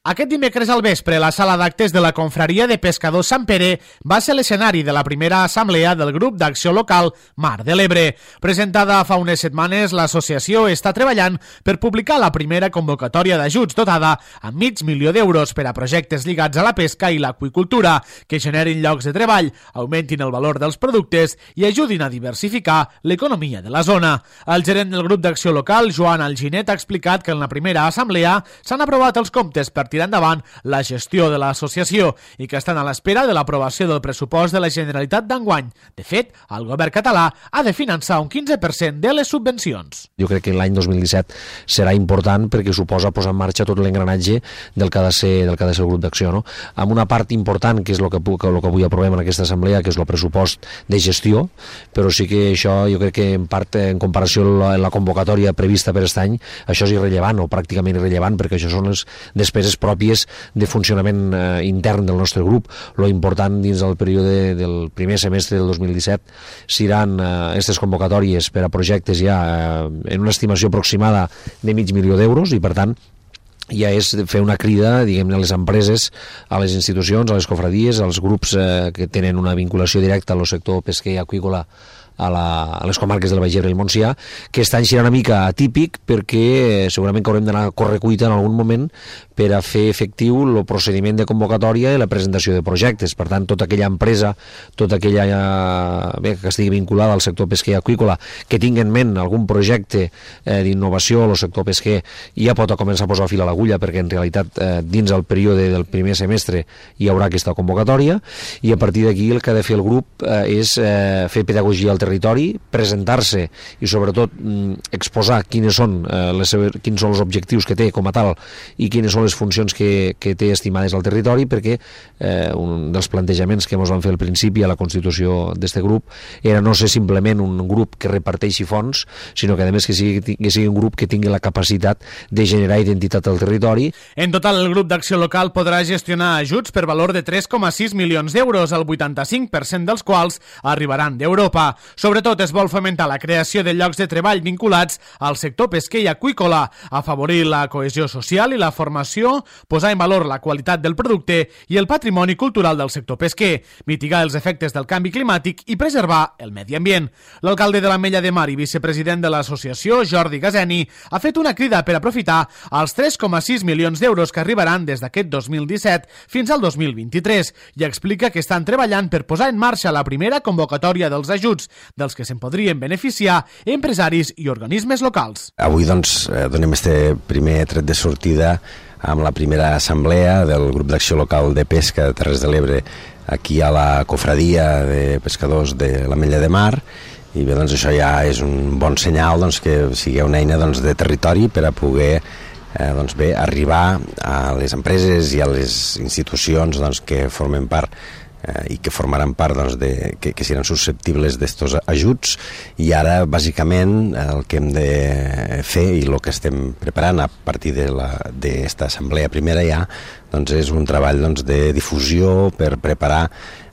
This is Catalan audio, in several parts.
Aquest dimecres al vespre, la sala d'actes de la Confraria de Pescadors Sant Pere va ser l'escenari de la primera assemblea del grup d'acció local Mar de l'Ebre. Presentada fa unes setmanes, l'associació està treballant per publicar la primera convocatòria d'ajuts dotada amb $500.000 per a projectes lligats a la pesca i l'aqüicultura, que generin llocs de treball, augmentin el valor dels productes i ajudin a diversificar l'economia de la zona. El gerent del grup d'acció local, Joan Alginet, ha explicat que en la primera assemblea s'han aprovat els comptes per tirar endavant la gestió de l'associació i que estan a l'espera de l'aprovació del pressupost de la Generalitat d'enguany. De fet, el govern català ha de finançar un 15% de les subvencions. Jo crec que l'any 2017 serà important perquè suposa posar en marxa tot l'engranatge del que ha de ser el grup d'acció, no? Amb una part important, que és el que avui aprovem en aquesta assemblea, que és el pressupost de gestió, però sí que això jo crec que en part, en comparació amb la convocatòria prevista per aquest any, això és irrellevant o pràcticament irrellevant, perquè això són les despeses pròpies de funcionament intern del nostre grup. Lo important dins del període del primer semestre del 2017 seran aquestes convocatòries per a projectes ja en una estimació aproximada de $500.000 i per tant ja és fer una crida, diguem-ne, a les empreses, a les institucions, a les cofradies, als grups que tenen una vinculació directa al sector pesquer i aqüícola a les comarques del Baix Ebre i el Montsià, que aquest any serà una mica atípic perquè segurament que haurem d'anar a correcuita en algun moment per a fer efectiu el procediment de convocatòria i la presentació de projectes. Per tant, tota aquella empresa, tota aquella que estigui vinculada al sector pesquer i aqüícola, que tingui en ment algun projecte d'innovació al sector pesquer, ja pot començar a posar fil a l'agulla, perquè en realitat dins el període del primer semestre hi haurà aquesta convocatòria, i a partir d'aquí el que ha de fer el grup és fer pedagogia al territori, presentar-se i sobretot exposar quins són els objectius que té com a tal i quines són les funcions que té estimades al territori, perquè un dels plantejaments que ens van fer al principi a la constitució d'aquest grup era no ser simplement un grup que reparteixi fons, sinó que a més que sigui un grup que tingui la capacitat de generar identitat al territori. En total, el grup d'acció local podrà gestionar ajuts per valor de 3,6 milions d'euros, el 85% dels quals arribaran d'Europa. Sobretot es vol fomentar la creació de llocs de treball vinculats al sector pesquer i aqüícola, afavorir la cohesió social i la formació, posar en valor la qualitat del producte i el patrimoni cultural del sector pesquer, mitigar els efectes del canvi climàtic i preservar el medi ambient. L'alcalde de l'Ametlla de Mar i vicepresident de l'associació, Jordi Gazeni, ha fet una crida per aprofitar els 3,6 milions d'euros que arribaran des d'aquest 2017 fins al 2023 i explica que estan treballant per posar en marxa la primera convocatòria dels ajuts, dels que se'n podrien beneficiar empresaris i organismes locals. Avui donem este primer tret de sortida amb la primera assemblea del grup d'acció local de pesca de Terres de l'Ebre aquí a la cofradia de pescadors de l'Ametlla de Mar, i bé, això ja és un bon senyal que sigui una eina de territori per a poder arribar a les empreses i a les institucions que formen part i que formaran part que seran susceptibles d'estos ajuts. I ara bàsicament el que hem de fer i el que estem preparant a partir d'esta assemblea primera ja és un treball de difusió per preparar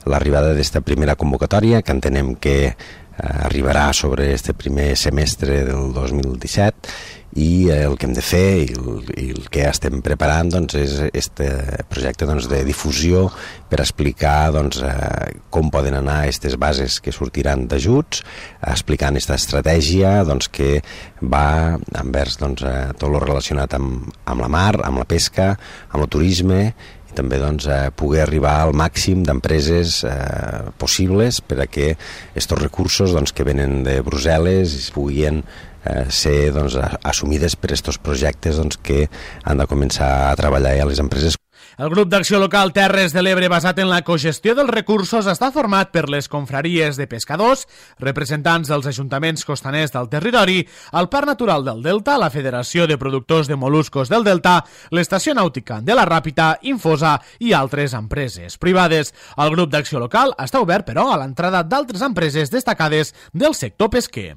l'arribada d'esta primera convocatòria, que entenem que arribarà sobre este primer semestre del 2017, i el que hem de fer i el que estem preparant és aquest projecte de difusió per explicar com poden anar aquestes bases que sortiran d'ajuts, explicant aquesta estratègia que va envers tot el relacionat amb la mar, amb la pesca, amb el turisme, i també poder arribar al màxim d'empreses possibles per a que aquests recursos que venen de Brussel·les es puguin ser assumides per aquests projectes que han de començar a treballar a les empreses. El grup d'acció local Terres de l'Ebre, basat en la cogestió dels recursos, està format per les confraries de pescadors, representants dels ajuntaments costaners del territori, el Parc Natural del Delta, la Federació de Productors de Moluscos del Delta, l'Estació Nàutica de la Ràpita, Infosa i altres empreses privades. El grup d'acció local està obert, però, a l'entrada d'altres empreses destacades del sector pesquer.